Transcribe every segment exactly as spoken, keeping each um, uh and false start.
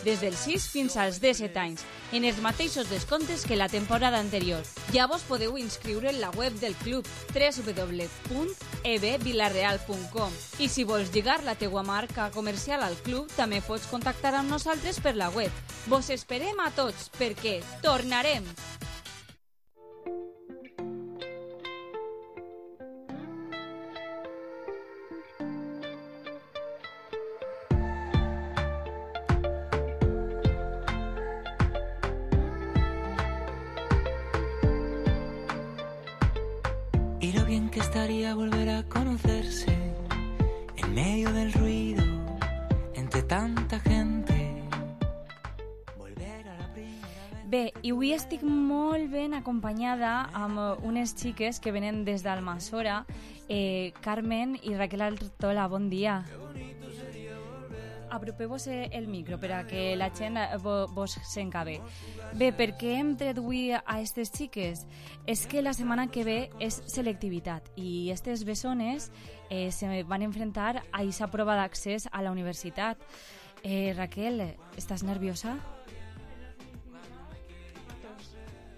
des dels sis fins als disset anys, en els mateixos descomptes que la temporada anterior. Ja vos podeu inscriure en la web del club w w w punt e b vilareal punt com i si vols lligar la teua marca comercial al club també pots contactar amb nosaltres per la web. Vos esperem a tots perquè tornarem! Y lo bien que estaría volver a conocerse en medio del ruido, entre tanta gente. Volver a la primera vez. Bé, i avui estic molt ben acompanyada amb unes xiques que venen des d'Almassora, eh, Carmen i Raquel Artola. Bon dia. Apropeu-vos el micro per a que la gent vos senca bé. Bé, per què hem tret avui a aquestes xiques? És que la setmana que ve és selectivitat i aquestes bessones eh, se van enfrontar a aquesta prova d'accés a la universitat. Eh, Raquel, estàs nerviosa?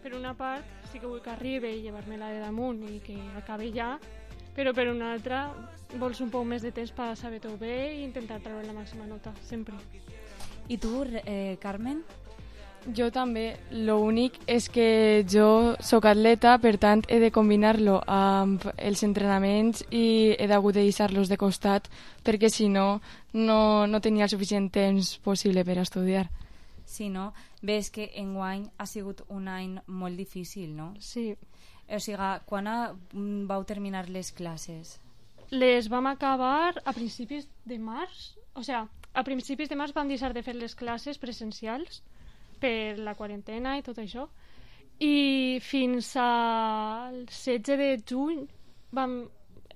Per una part, sí que vull que arribi i llevar-me-la de damunt i que acabi ja, però per una altra vols un poc més de temps per saber-ho bé i intentar treure la màxima nota, sempre. I tu, eh, Carmen? Jo també. L'únic és que jo sóc atleta, per tant he de combinar-lo amb els entrenaments i he d'hagut de deixar-los de costat perquè si no, no, no tenia el suficient temps possible per estudiar. Sí, no? Bé, és que enguany ha sigut un any molt difícil, no? Sí. O sigui, quan ha, vau terminar les classes? Les vam acabar a principis de març. O sigui, a principis de març vam deixar de fer les classes presencials per la quarantena i tot això. I fins al setze de juny vam...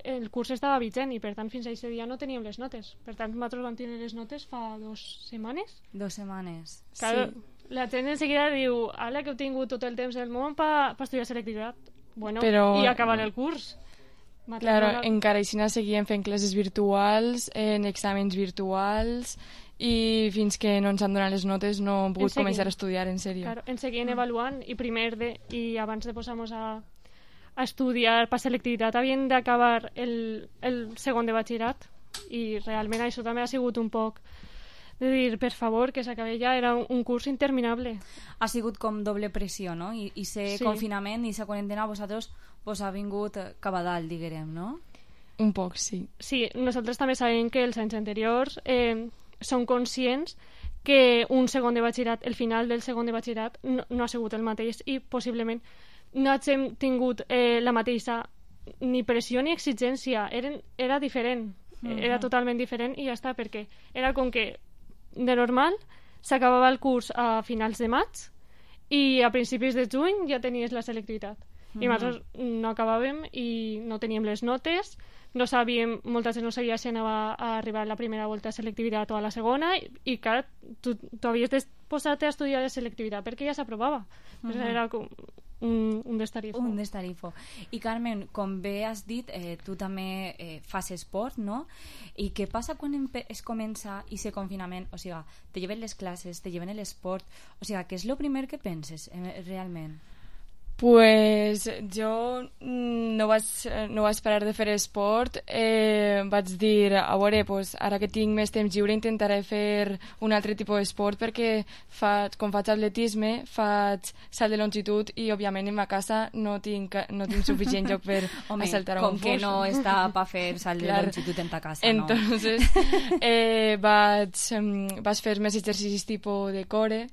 el curs estava vigent i per tant fins a aquest dia no teníem les notes. Per tant, nosaltres vam tenir les notes fa dues setmanes. Dos setmanes, claro, sí. La gent en seguida diu, ala, que heu tingut tot el temps del món per pa estudiar selectivitat. Bueno, però... i acabar el curs. Claro, no... encara així seguíem fent classes virtuals, en exàmens virtuals, i fins que no ens han donat les notes no hem pogut començar a estudiar en sèrio. Claro, ens seguien mm. avaluant i primer de, i abans de posar-nos a, a estudiar per selectivitat havien d'acabar el, el segon de batxillerat i realment això també ha sigut un poc de dir, per favor, que s'acabi ja, era un, un curs interminable. Ha sigut com doble pressió, no? I, i ser sí. confinament i ser quarantena a vosaltres vos ha vingut cap a dalt, diguem, no? Un poc, sí. Sí, nosaltres també sabem que els anys anteriors eh, són conscients que un segon de batxillerat, el final del segon de batxillerat no, no ha sigut el mateix i possiblement no hem tingut eh, la mateixa ni pressió ni exigència, Eren, era diferent, uh-huh. era totalment diferent i ja està, perquè era com que de normal s'acabava el curs a finals de maig i a principis de juny ja tenies la selectivitat. Uh-huh. I nosaltres no acabàvem i no teníem les notes, no sabíem, molta gent no sabia si anava a arribar a la primera volta de selectivitat o a la segona i, i clar, tu, tu havies de posar-te a estudiar de selectivitat perquè ja s'aprovava. Uh-huh. Era com un, un destarifo. Un destarifo. I Carmen, com bé has dit, eh, tu també eh, fas esport, no? I què passa quan es comença i se confinament? O sigui, te lleven les classes, te lleven l'esport, o sigui, què és el primer que penses eh, realment? Pues jo no vaig, no vaig parar de fer esport, eh, vaig dir, a veure, pues, ara que tinc més temps lliure intentaré fer un altre tipus d'esport perquè faig, com faig atletisme, faig salt de longitud i òbviament en ma casa no tinc, no tinc suficient lloc per Home, saltar a un com que no està per fer salt de Clar. longitud en ta casa, no? Entonces, eh, vaig, vaig fer més exercicis tipus de core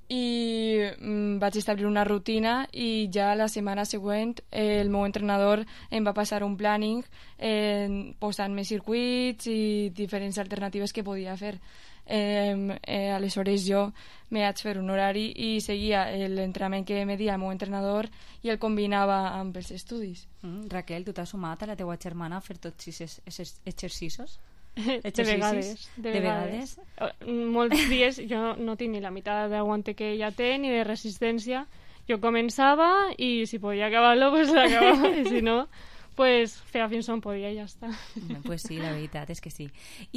i mm, vaig establir una rutina i ja la setmana següent eh, el meu entrenador em va passar un planning eh, posant més circuits i diferents alternatives que podia fer. Eh, eh, aleshores jo me vaig fer un horari i seguia l'entrenament que me dia el meu entrenador i el combinava amb els estudis. Mm, Raquel, tu t'has sumat a la teua germana a fer tots aquests exercicis? De vegades, de, de vegades. vegades. Molts dies jo no tinc ni la meitat d'aguante que ella té ni de resistència. Jo començava i si podia acabar-lo, pues l'acabava. I si no, pues feia fins on podia i ja està. Pues sí, la veritat és que sí.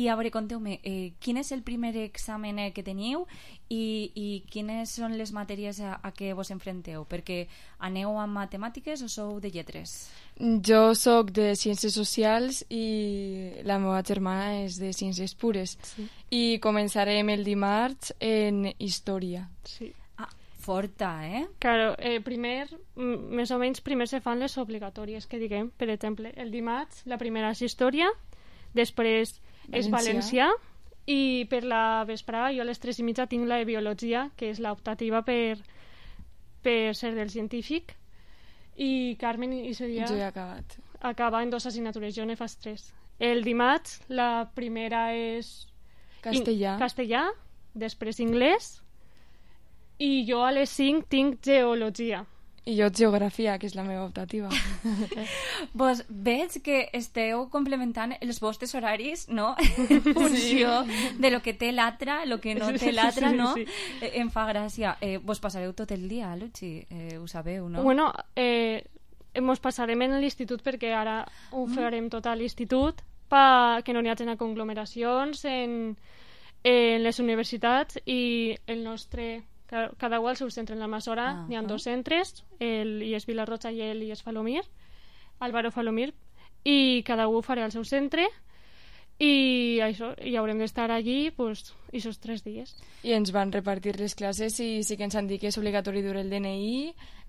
I a veure, conteu-me, eh, quin és el primer examen eh, que teniu i, i quines són les matèries a, a què vos enfronteu? Perquè aneu amb matemàtiques o sou de lletres? Jo sóc de Ciències Socials i la meva germana és de Ciències Pures. Sí. I començarem el dimarts en Història. Sí. Forta, eh? Claro, eh, primer, m- més o menys, primer se fan les obligatòries, que diguem. Per exemple, el dimarts, la primera és història, després és Valencià. valencià, i per la vesprada, jo a les tres i mitja tinc la de biologia, que és l'optativa per, per ser del científic, i Carmen i seria... Jo he acabat. Acaba en dues assignatures, jo ne fas tres. El dimarts, la primera és... Castellà. In- castellà, després anglès, i jo a les cinc tinc geologia. I jo Geografia, que és la meva optativa. Vos veig que esteu complementant els vostres horaris, no? En funció de lo que té l'altra, lo que no té l'altra, Sí, no? sí. Eh, em fa gràcia. Eh, vos passareu tot el dia, Luchi? Eh, ho sabeu, no? Bueno, eh, mos passarem en l'institut perquè ara ho farem tot a l'institut perquè no n'hi hagi conglomeracions en, en les universitats i el nostre... Cada, cada un al seu centre. En l'Almassora Ah, n'hi ha ah. dos centres, el I E S Vilarrocha i el I E S Falomir, Álvaro Falomir, i cada un ho farà al seu centre i això, i haurem d'estar allí pues, aquests tres dies. I ens van repartir les classes i sí que ens han dit que és obligatori dur el D N I,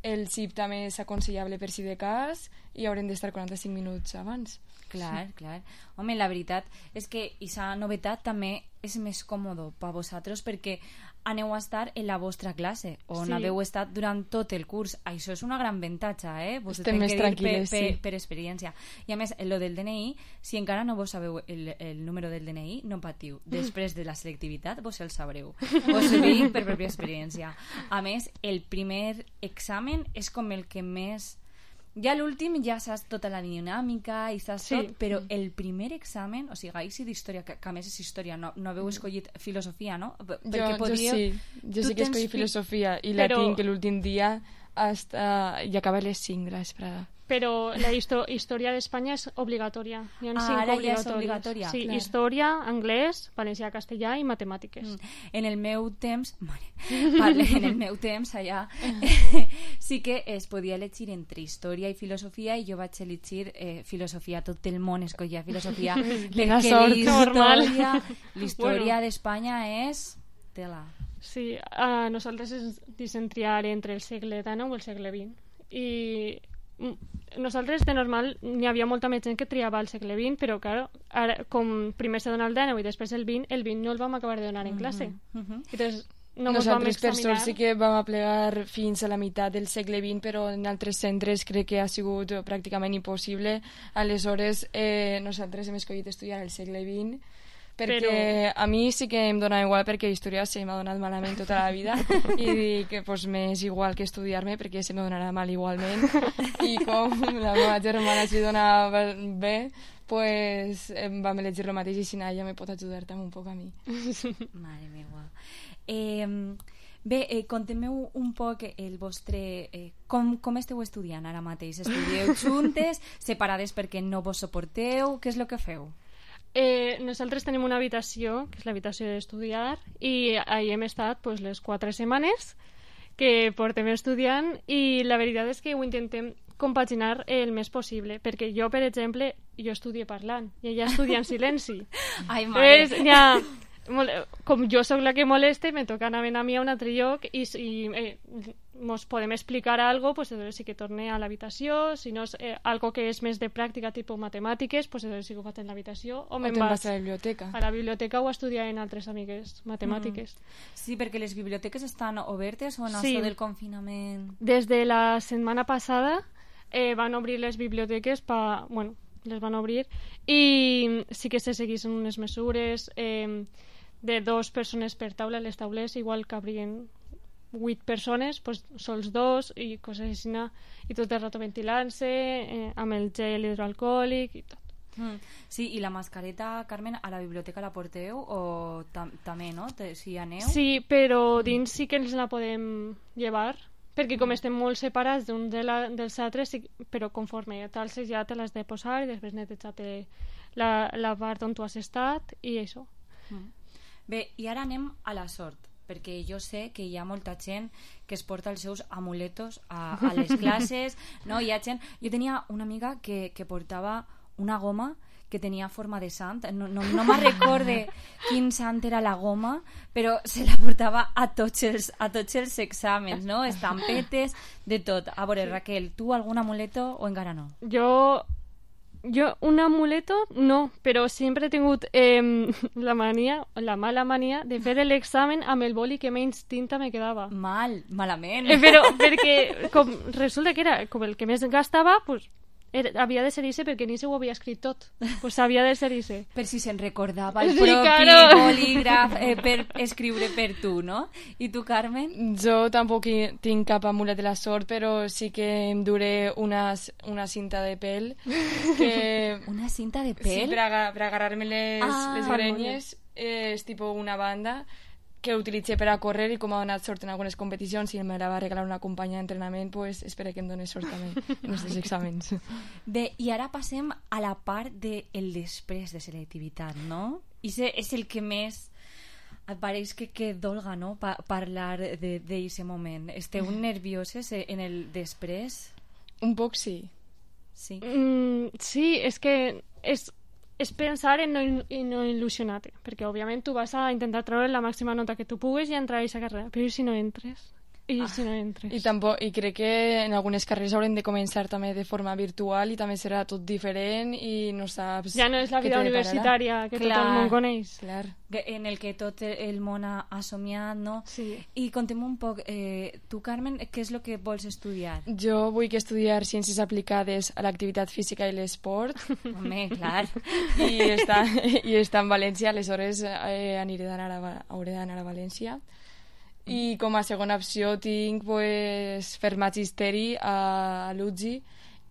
el C I P també és aconsellable per si de cas i haurem d'estar quaranta-cinc minuts abans. Clar, clar. Home, la veritat és que aquesta novetat també és més còmodo per vosaltres perquè aneu a estar en la vostra classe on Sí. haveu estat durant tot el curs. Això és una gran avantatge, eh? Vos ho Estem tenc més que dir tranquil·les, per, per, sí. per experiència. I a més, lo del D N I, si encara no vos sabeu el, el número del D N I, no patiu. Després de la selectivitat vos el sabreu. Vos ho dic per pròpia experiència. A més, el primer examen és com el que més... Ja l'últim ja saps tota la dinàmica i saps Sí. tot, però el primer examen, o sigui, així d'història, que, que a més és història, no, no haveu escollit filosofia, no? P- Jo, Perquè jo podríeu... sí, jo Tu sí que tens escolli fi- filosofia i la Però- tinc l'últim dia hasta... i acaba a les cinc de la vesprada. Però la histo història d'Espanya és obligatòria. Hi ha Ah, cinc ara ja és obligatòries. obligatòria, Sí, clar. història, anglès, valencià, castellà i matemàtiques. Mm. En el meu temps, mare, parle, en el meu temps allà sí que es podia elegir entre història i filosofia i jo vaig elegir eh, filosofia, tot el món escollia filosofia Quina perquè sort. Normal. l'història l'història Bueno. d'Espanya és tela. Sí, a nosaltres ens deixen triar entre el segle dinou i el segle vint. I mm, nosaltres de normal n'hi havia molta més gent que triava el segle vint, però claro, ara, com primer se dona el dinou i després el vint, el vint no el vam acabar de donar en classe. Mhm. Entonces, no ens vam Nosaltres, per examinar. sort, sí que vam aplegar fins a la meitat del segle vint, però en altres centres crec que ha sigut pràcticament impossible. Aleshores, eh, nosaltres hem escollit estudiar el segle vint, perquè Però- a mi sí que em dona igual, perquè història se m'ha donat malament tota la vida, i dic que pues, m'és igual que estudiar-me, perquè se me donarà mal igualment. I com la meva germana s'hi dona bé, pues, em vam elegir el mateix i si no, ella me pot ajudar també un poc a mi. Mare meva. Eh, bé, eh, conteu un poc el vostre... Eh, com, com esteu estudiant ara mateix? Estudieu juntes, separades perquè no vos suporteu? Què és el que feu? Eh, nosaltres tenim una habitació, que és l'habitació d'estudiar, i ahí hem estat pues, les quatre setmanes que portem estudiant i la veritat és que ho intentem compaginar el més possible, perquè jo, per exemple, jo estudio parlant i ella estudia en silenci. Ai, mare. Pues, ja, mole- com jo sóc la que moleste, me toca anar a mi a un altre lloc i si eh, mos podem explicar algo, pues entonces sí que torne a l'habitació, si no és eh, algo que és més de pràctica, tipus matemàtiques, pues entonces sí que ho faig en l'habitació, o O me'n te'n vaig vas a la biblioteca. a la biblioteca o a estudiar en altres amigues matemàtiques. Sí, perquè les biblioteques estan obertes o en Sí. això del confinament? Des de la setmana passada eh, van obrir les biblioteques pa, bueno, les van obrir i sí que se seguissin unes mesures eh, de dos persones per taula. Les taules igual cabrien vuit persones, pues, sols dos i coses així, i tot el rato ventilant-se eh, amb el gel hidroalcohòlic i tot. Mm. Sí, i la mascareta, Carmen, a la biblioteca la porteu o tam també, no? Te, si hi aneu? Sí, però dins sí que ens la podem llevar perquè com estem molt separats d'un de la, dels altres, sí, però conforme t'alces ja te l'has de posar i després netejar-te la, la part on tu has estat i això. Mm. Bé, i ara anem a la sort, perquè jo sé que hi ha molta gent que es porta els seus amuletos a, a les classes, no? Hi ha gent... Jo tenia una amiga que, que portava una goma que tenia forma de sant, no, no, no me'n recorde quin sant era la goma, però se la portava a tots els, a tots els exàmens, no? Estampetes, de tot. A veure, Raquel, tu algun amuleto o encara no? Jo... Jo un amuleto no, però sempre he tingut eh, la mania, la mala mania de fer l'examen amb el boli que menys tinta me quedava. Mal, malament. Eh, però perquè com resulta que era com el que més gastava, pues, era, havia de ser ese perquè ni se ho havia escrit tot. Pues havia de ser ese. Per si se'n recordava el Sí, propi claro. bolígraf eh, per escriure per tu, no? I tu, Carmen? Jo tampoc hi tinc cap amulet de la sort, però sí que em duré una, una cinta de pèl que... Una cinta de Sí, pèl? per, aga, per agarrar-me les, Ah, les grenyes, eh, és tipo una banda que utilitzé per a córrer i com ha donat sort en algunes competicions i me la va regalar una companya d'entrenament, pues espero que em doni sort també en els exàmens. Bé, i ara passem a la part del després de selectivitat, no? I és el que més et pareix que, que dolga, no? Pa parlar d'aquest moment. Esteu nervioses en el després? Un poc sí. Sí. Mm, sí, és que és, és pensar en no, en no il·lusionar-te, perquè òbviament tu vas a intentar treure la màxima nota que tu puguis i entrar a aquesta carrera, però i si no entres? I ah. si no entres? I, tampoc, I crec que en algunes carreres haurem de començar també de forma virtual i també serà tot diferent i no saps... Ja no és la vida universitària que Clar. tot el món coneix. Clar. En el que tot el món ha, ha somiat, no? Sí. I contem un poc, eh, tu, Carmen, què és el que vols estudiar? Jo vull que estudiar ciències aplicades a l'activitat física i l'esport. Home, clar. I està, i està en València, aleshores eh, aniré d'anar a, hauré d'anar a València. I com a segona opció tinc pues, fer magisteri a l'U G I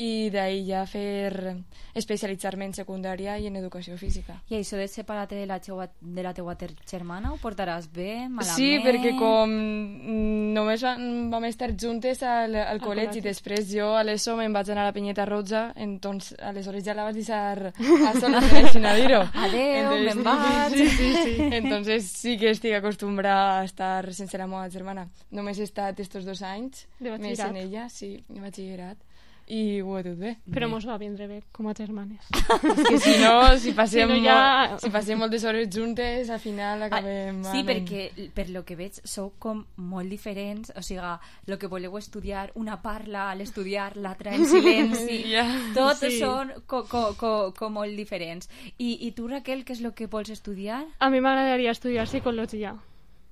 i d'ahir ja fer especialitzar-me en secundària i en educació física. I això de separar-te de la teua, de la teua germana ho portaràs bé, malament? Sí, perquè com només vam estar juntes al, al col·legi i després jo a l'ESO me'n vaig anar a la Penyeta Roja, entonces aleshores ja la vaig deixar a sola, sin a dir-ho. Adeu, me'n vaig. Sí, sí, sí. Entonces sí que estic acostumbrada a estar sense la meva germana. Només he estat estos dos anys De més batxillerat. en ella, sí, de batxillerat. I ho he dut bé. Però mos va vindre bé com a germanes. És que si no, si passem, Si no, si ja- molt, si passem moltes hores juntes, al final acabem... Ah, sí, anant. perquè per lo que veig sou com molt diferents, o sigui, el que voleu estudiar, una parla a l'estudiar, l'altra en silenci, Ja. tots Sí. són co, co, co, com molt diferents. I, I tu, Raquel, què és el que vols estudiar? A mi m'agradaria estudiar psicologia.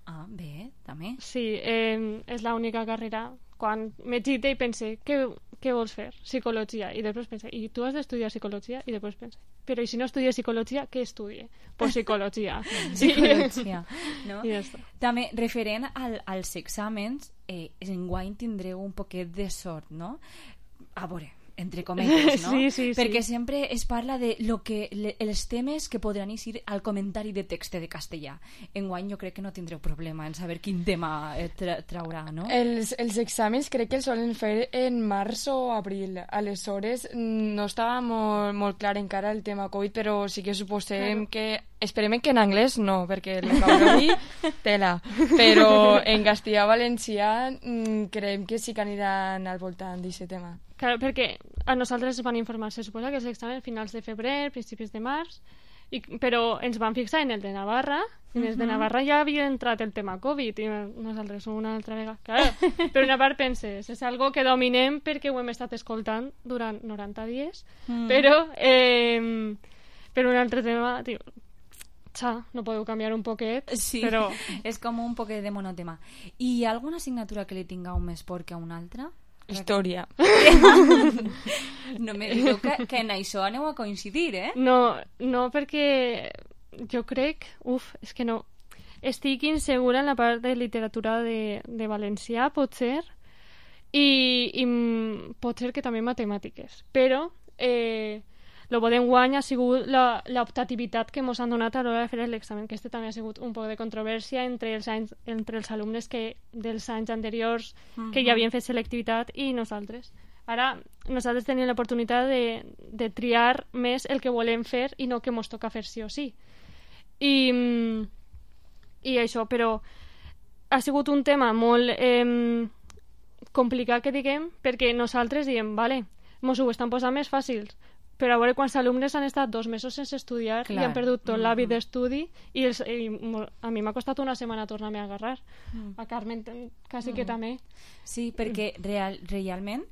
Ah, bé, també. Sí, eh, és l'única carrera. Quan me gite i pense, què, què vols fer? Psicologia. I després pense, i tu has d'estudiar psicologia? I després pense, però i si no estudies psicologia, què estudie? Pues psicologia. Psicologia, no? I ja està. També, referent al, als exàmens, eh, enguany tindreu un poquet de sort, no? A veure, entre cometes, no? Sí, sí, sí. Perquè sempre es parla de lo que, le, els temes que podran eixir al comentari de text de castellà. Enguany jo crec que no tindreu problema en saber quin tema eh, tra traurà, no? Els, els exàmens crec que els solen fer en març o abril. Aleshores, no estava molt, molt clar encara el tema Covid, però sí que suposem claro. que... Esperem que en anglès no, perquè el vocabulari tela. Però en castellà valencià creiem que sí que aniran al voltant d'aquest tema. Claro, perquè a nosaltres ens van informar, se suposa que els exàmens finals de febrer, principis de març, i, però ens van fixar en el de Navarra, i en el de Navarra ja havia entrat el tema Covid, i nosaltres una altra vegada. Claro, per una part penses, és algo que dominem perquè ho hem estat escoltant durant noranta dies, mm. però eh, per un altre tema, tio, xa, no podeu canviar un poquet, sí, però... és com un poquet de monotema. I hi ha alguna assignatura que li tingueu més por que a una altra? Història. No me digueu que, que en això aneu a coincidir, eh? No, no, perquè jo crec... Uf, és que no... Estic insegura en la part de literatura de, de valencià, potser, i, i pot ser que també matemàtiques. Però eh, El bo d'enguany ha sigut la- l'optativitat que ens han donat a l'hora de fer l'examen, que este també ha sigut un poc de controvèrsia entre els, anys, entre els alumnes que, dels anys anteriors que ja havien fet selectivitat i nosaltres. Ara, nosaltres tenim l'oportunitat de, de triar més el que volem fer i no que ens toca fer sí o sí. I, i això, però ha sigut un tema molt eh, complicat, que diguem, perquè nosaltres diem, vale, mos ho estan posant més fàcils, però a veure quants alumnes han estat dos mesos sense estudiar Clar. i han perdut tot Mm-hmm. l'hàbit d'estudi i, els, i mo- a mi m'ha costat una setmana tornar-me a agarrar. Mm. A Carmen ten- quasi que també. Sí, perquè real, realment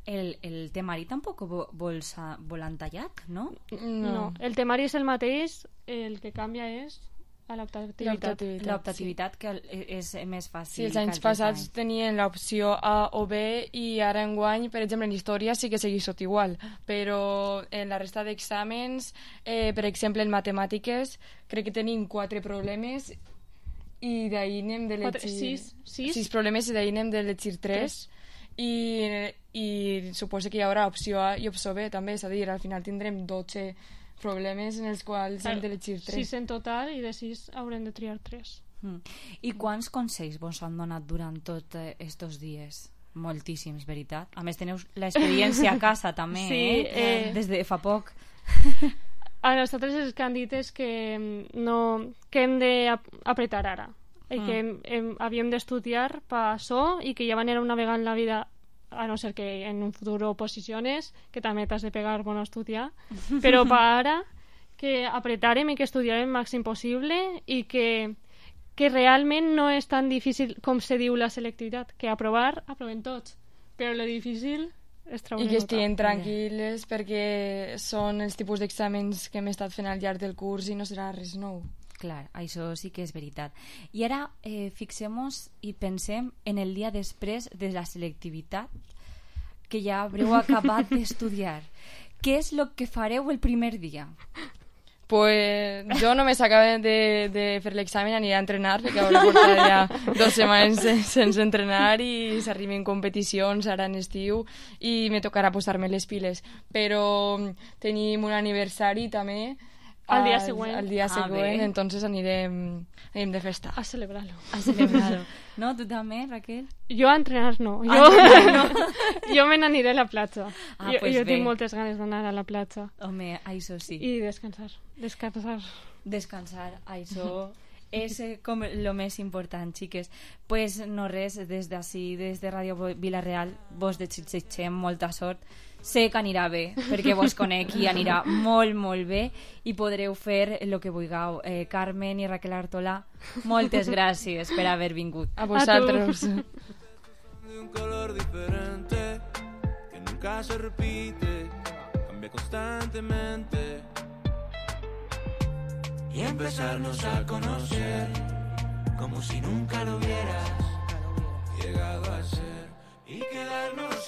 el, el temari tampoc vo- vol, sa- vol entallat, no? No. no. El temari és el mateix, el que canvia és a l'optativitat. L'optativitat. L'optativitat que el- és més fàcil. Sí, els que anys altres passats anys. tenien l'opció A o B i ara enguany, per exemple, en història sí que segueix tot igual, però en la resta d'exàmens, eh, per exemple, en matemàtiques, crec que tenim quatre problemes i d'ahir n'hem de Quatre- llegir... sis, sis. sis problemes i d'ahir n'hem de llegir tres. I, i suposo que hi haurà opció A i opció B també, és a dir, al final tindrem dotze problemes en els quals hem de llegir tres. sis en total i de sis haurem de triar tres. Mm. I quants consells vos han donat durant tots estos dies? Moltíssims, veritat. A més, teniu l'experiència a casa també, Sí, eh? eh, Des de fa poc. A nosaltres els que han dit és que mm, no, que hem d'apretar ara i que hem, hem, havíem d'estudiar per això i que ja van anar una vegada en la vida, a no ser que en un futur oposiciones, que també t'has de pegar bon a estudiar, però per ara que apretarem i que estudiarem el màxim possible i que, que realment no és tan difícil com se diu la selectivitat, que aprovar, aprovem tots, però lo difícil és treure I que nota. estiguin tranquil·les perquè són els tipus d'exàmens que hem estat fent al llarg del curs i no serà res nou. Clar, això sí que és veritat. I ara eh, fixem-nos i pensem en el dia després de la selectivitat que ja haureu acabat d'estudiar. Què és el que fareu el primer dia? Pues jo només acabé de, de fer l'examen, aniré a entrenar perquè hauré portat ja dues setmanes sense, sense entrenar i s'arriben competicions ara en estiu i me tocarà posar-me les piles. Però tenim un aniversari també Al dia següent. Al dia Ah, següent, bé. entonces anirem, anirem de festa. A celebrar-lo. A celebrar-ho. No? Tu també, Raquel? Jo a entrenar no. Jo, entrenar no. jo me n'aniré a la platja. Ah, jo pues jo bé. tinc moltes ganes d'anar a la platja. Home, això sí. I descansar. Descansar. Descansar, això és eh, com el més important, xiques. Pues no res, des d'ací, des de Ràdio Vila-real, vos desitgem molta sort. Sé que anirà bé, perquè vos conec i anirà molt, molt bé i podreu fer el que vulgueu. Eh, Carmen i Raquel Artola, moltes gràcies per haver vingut. A vosaltres. De un color diferente que nunca se repite, cambia constantemente y empezarnos a conocer como si nunca lo hubieras llegado a ser.